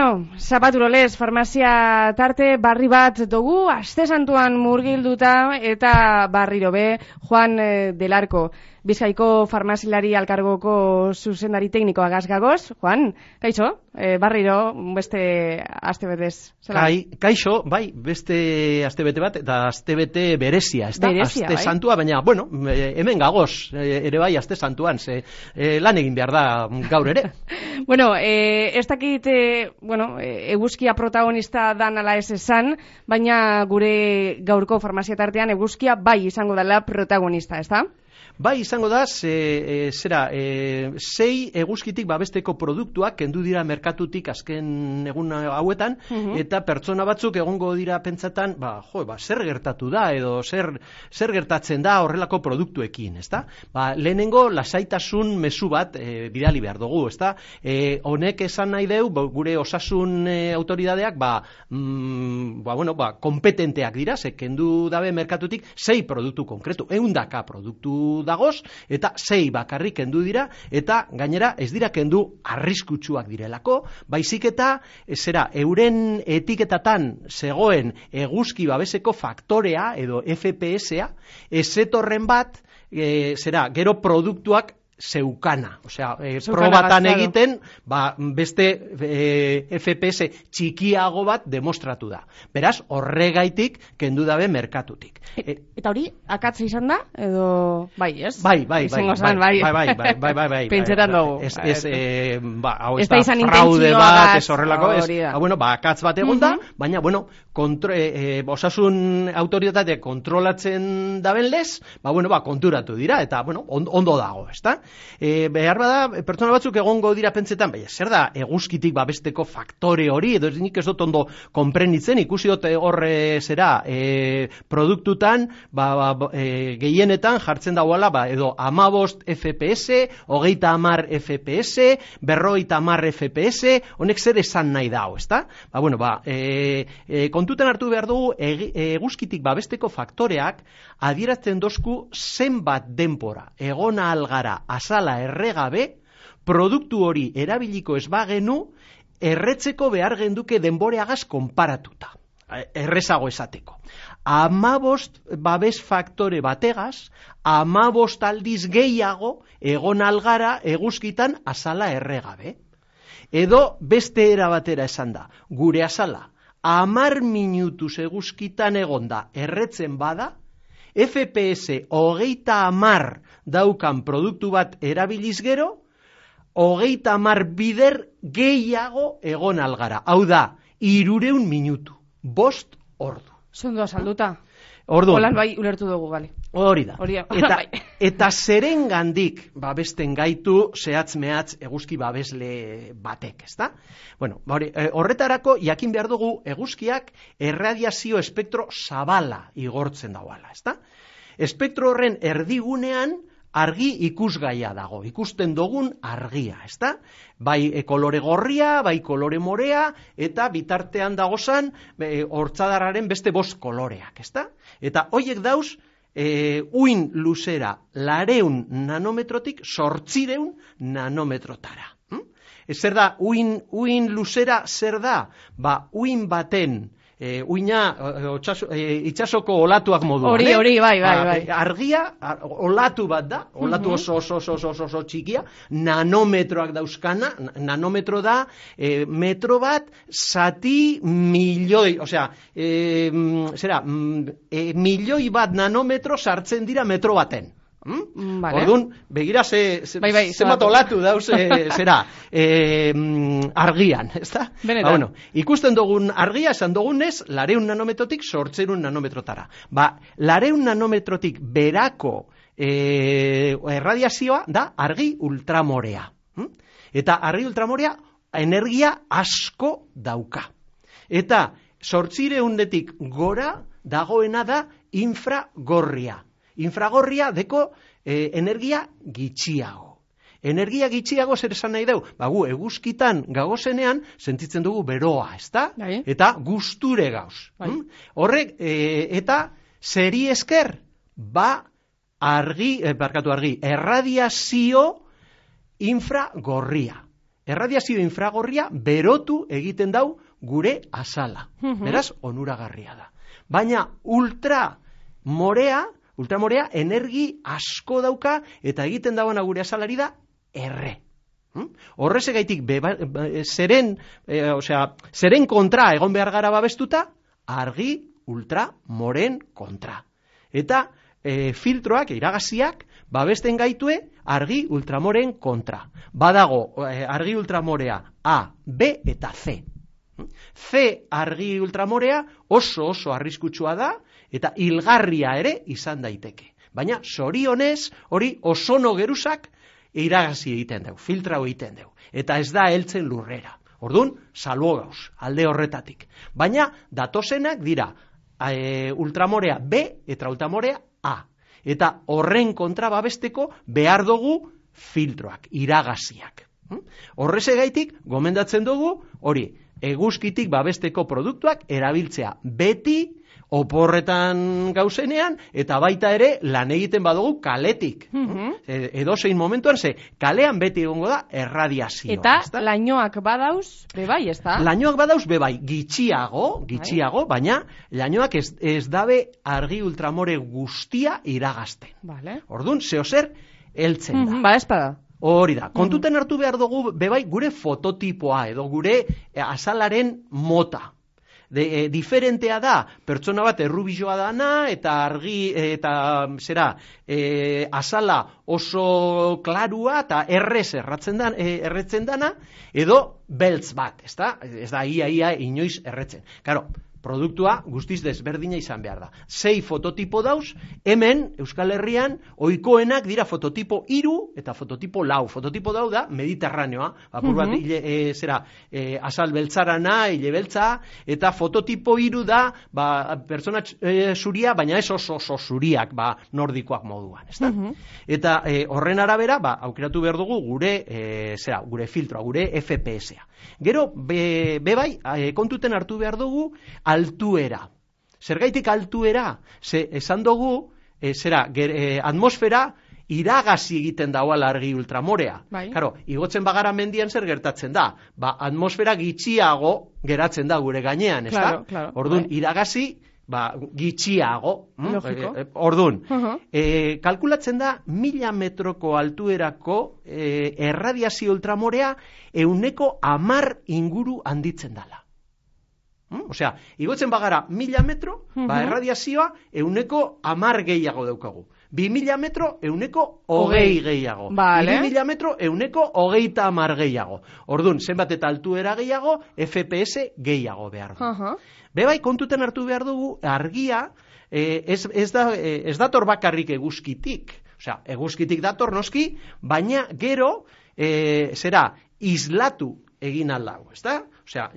Bueno, zapaturolez, farmazia tarte barri bat dugu, aste santuan murgilduta eta barriro be, Juan del Arco, Bizkaiko farmazilari alkargoko zuzendari teknikoa gazgagoz. Juan, kaixo, barriro beste astebetez. Kaixo, bai, beste astebete bat, eta astebete berezia, ez da? Berezia, aste bai? santua, baina, bueno, hemen gagoz, ere bai, aste santuan, lan egin behar da gaur ere. Bueno, ez dakit, eguzkia protagonista dan ala ez esan, baina gure gaurko farmazia tartean eguzkia bai izango dela protagonista, ez da? Bai, izango da, sei eguzkitik babesteko produktuak kendu dira merkatutik azken egun hauetan, eta pertsona batzuk egongo dira pentsatan, zer gertatu da, edo zer gertatzen da horrelako produktuekin, ezta? Lehenengo lasaitasun mezu bat bidali behar dugu, ezta? Honek esan nahi deu, gure osasun autoridadeak, kompetenteak dira, ze kendu dabe merkatutik 6 produktu konkretu, 100 produktu dagoz, eta 6 bakarrik kendu dira, eta gainera ez dira kendu arriskutsuak direlako, baizik eta euren etiketatan zegoen eguzki babeseko faktorea edo FPS-a, ezetorren bat, gero produktuak zeukana, probatan egiten, beste FPS txikiago bat demostratu da. Beraz, horregaitik kendu dabe merkatutik. Eta hori, akatza izan da, edo bai, ez? Bai. Pentsetan dugu. Hau ez da fraude bat, ez horrelako, akatz bat egon da, baina, osasun autoritate kontrolatzen daben lez, konturatu dira, eta, ondo dago, ez da? Behar bada, pertsona batzuk egongo dira pentsetan, zer da eguzkitik babesteko faktore hori, edo nik ez dut ondo konprenitzen, ikusi dut horre produktutan, gehienetan jartzen dauala, edo 15 FPS, 30 FPS, 50 FPS, honek zer esan nahi dao, ez da? Kontutan hartu behar dugu, eguzkitik babesteko faktoreak adierazten dozku zenbat denpora, egona algara, azala erregabe, produktu hori erabiliko ez bagenu, erretzeko behar genduke denboreagaz konparatuta. Errezago esateko. 15 babes faktore bategaz, 15 aldiz gehiago egon algara eguzkitan azala erregabe. Edo beste era batera esan da, gure azala 10 minutuz eguzkitan egonda erretzen bada, FPS 30 daukan produktu bat erabiliz gero, 30 bider gehiago egon algara. Hau da, 300 minutu, 5 ordu. Zondo azalduta. Ordu. Holan bai ulertu dugu, bale. Hori da. Eta zeren gandik babesten gaitu zehatz-mehatz eguzki babesle batek, ezta? Horretarako jakin behar dugu eguzkiak erradiazio espektro zabala igortzen dauala, ezta? Espektro horren erdigunean argi ikusgaia dago, ikusten dugun argia, ezta? Bai kolore gorria, bai kolore morea, eta bitartean dagozan hortzadarraren beste 5 koloreak, ezta? Eta hoiek dauz, uin luzera 200 nanometrotik 800 nanometrotara. Zer da, uin luzera zer da? Uin baten, uina itxasoko olatuak moduan. Hori, bai. Argia, olatu bat da, olatu oso txikia, nanometroak dauzkana, nanometro da, metro bat, zati milioi, milioi bat nanometro sartzen dira metro baten. Orduan, begira zenbat olatu dauz argian, ezta? Ikusten dugun argia, esan dugunez, 200 nanometrotik 800 nanometrotara. 200 nanometrotik berako erradiazioa da argi ultramorea. Eta argi ultramorea energia asko dauka. Eta 800etik gora dagoena da infragorria. Infragorria deko energia gitxiago. Energia gitxiago zer esan nahi deu? Gu eguzkitan gagozenean sentitzen dugu beroa, ezta? Eta gusture gauz. Horrek, eta zeri esker, erradiazio infragorria. erradiazio infragorria berotu egiten dau gure azala. Beraz, onuragarria da. Baina ultramorea energi asko dauka eta egiten dagoena gure azalari da erre. Horrezegaitik zeren kontra egon behar gara babestuta, argi ultramoren kontra. Eta filtroak, iragaziak, babesten gaitue argi ultramoren kontra. Badago argi ultramorea A, B eta C. C argi ultramorea oso arriskutsua da eta hilgarria ere izan daiteke. Baina zorionez hori ozono geruzak iragazi egiten dugu, filtrau egiten dugu. Eta ez da heltzen lurrera. Orduan, salbo gauz, alde horretatik. Baina datozenak dira ultramorea B eta ultramorea A. Eta horren kontra babesteko behar dugu filtroak, iragaziak. Horrezegaitik, gomendatzen dugu, hori, eguzkitik babesteko produktuak erabiltzea beti oporretan gauzenean, eta baita ere lan egiten badugu kaletik. Edozein momentuan, kalean beti egongo da erradiazioa. Eta lainoak badauz, bebai, ez da? Lainoak badauz, bebai, gitxiago, baina lainoak ez dabe argi ultramore guztia iragazten. Orduan, zeozer heltzen da. Ba, espada. Hori da, kontuten hartu behar dugu, bebai, gure fototipoa edo gure azalaren mota. Diferentea da, pertsona bat errubizoa dana eta argi eta azala oso klarua eta erretzen dana, edo beltz bat, ez da ia inoiz erretzen. Karo, produktua guztiz desberdina izan behar da. 6 fototipo dauz, hemen Euskal Herrian ohikoenak dira fototipo 3 eta fototipo 4. Fototipo dau da Mediterraneoa, apur bat azal beltzarana, hile beltza, eta fototipo 3 da pertsona zuria, baina ez oso zuriak nordikoak moduan. Eta horren arabera, aukeratu behar dugu gure filtroa, gure FPS-a. Gero, bebai, kontuten hartu behar dugu altuera. Zergaitik altuera? Esan dugu, atmosfera iragazi egiten dagoela argi ultramorea. Karo, igotzen bagara mendian zer gertatzen da? Atmosfera gitxiago geratzen da gure gainean, ez da? Orduan, iragazi gitxiago. Orduan, kalkulatzen da 1000 metroko altuerako erradiazio ultramorea 110 inguru handitzen dala. Osea, igotzen bagara 1000 metro, erradiazioa 110 gehiago daukagu. 2000 metro 120 gehiago. 2000 metro 130 gehiago. Orduan, zenbat eta altuera gehiago, FPS gehiago behar du. Bebai, kontuten hartu behar dugu, argia ez dator bakarrik eguzkitik. Osea, eguzkitik dator noski, baina gero, islatu egin aldau, ez da? Osea,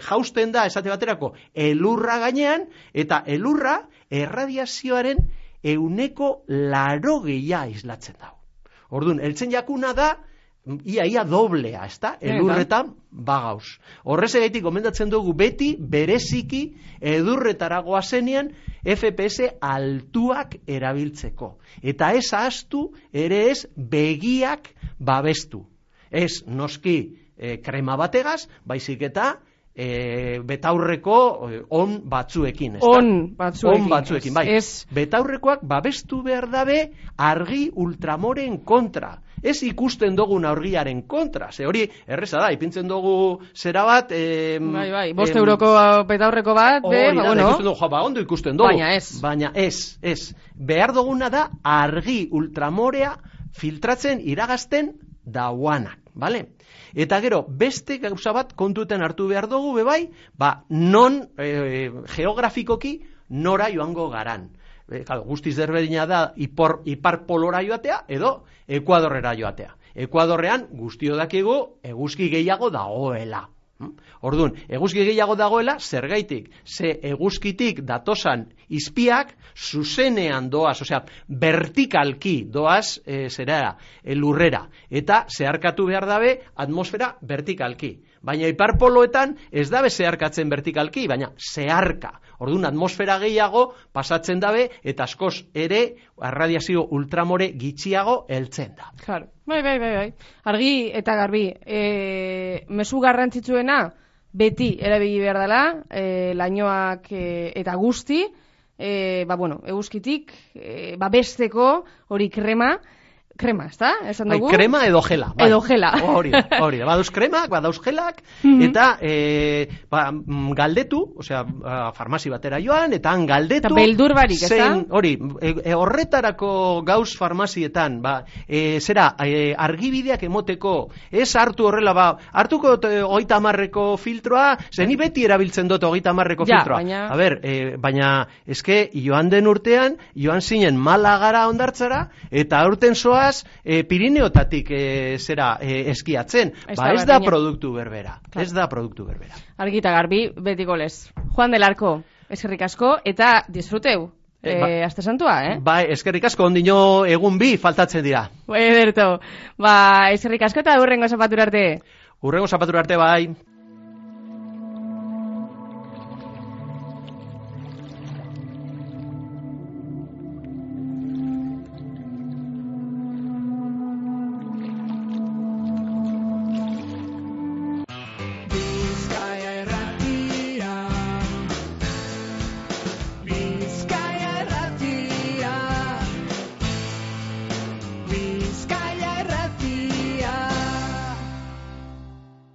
jausten da, esate baterako, elurra gainean, eta elurra erradiazioaren 180 islatzen dago. Orduan, heltzen jakuna da, ia doblea, ez da? Elurretan bagauz. Horrezegaitik gomendatzen dugu beti, bereziki, edurretaragoa zenean, FPS altuak erabiltzeko. Eta ez ahaztu, ere ez begiak babestu. Ez noski krema bategaz, baizik eta betaurreko on batzuekin. On batzuekin, bai. Betaurrekoak babestu behar dabe argi ultramoren kontra. Ez ikusten dugun argiaren kontra. Ze hori, erreza da, ipintzen dugu zera bat... Bai, 5 euroko betaurreko bat, ondo ikusten dugu. Baina ez. Behar duguna da argi ultramorea filtratzen iragazten dauanak, bale? Eta gero, beste gauza bat kontuten hartu behar dugu, bebai, non geografikoki nora joango garan. Guztiz derberdina da ipar polora joatea edo Ekuadorrera joatea. Ekuadorrean guztio dakigu eguzki gehiago dagoela. Orduan, eguzki gehiago dagoela, zergaitik, ze eguzkitik datosan izpiak zuzenean doaz, osea, vertikalki doaz lurrera, eta zeharkatu behar dabe atmosfera vertikalki. baina iparpoloetan ez dabe zeharkatzen vertikalki, baina zeharka. Orduan atmosfera gehiago pasatzen dabe eta askoz ere arradiazio ultramore gitxiago heltzen da. Claro. Bai. Argi eta garbi, mezu garrantzitsuena beti erabili behar dela, lainoak eta guzti, eguzkitik, besteko hori krema, ezta? Esan dugu? Krema edo gela. Bai. Edo gela. Hori da. Badauz kremak, badauz gelak, eta galdetu, farmazi batera joan, eta han galdetu... Eta beldur barik, ezta? Hori, horretarako gauz farmazietan, argibideak emoteko, ez hartu horrela, hartuko 30ko filtroa, zeni beti erabiltzen dut 30ko filtroa. Baina... A ber, baina, eske, joan den urtean, joan zinen Malagara ondartzara, eta aurten zoaz, Pirineotatik eskiatzen. Ez da produktu berbera. Ez da produktu berbera. Argita garbi, betiko lez. Juan del Arco, eskerrik asko, eta disfruteu. Aste santua, Bai, eskerrik asko, ondino egun bi faltatzen dira. Ederto. Eskerrik asko eta hurrengo zapatura arte. Hurrengo zapatura arte, bai.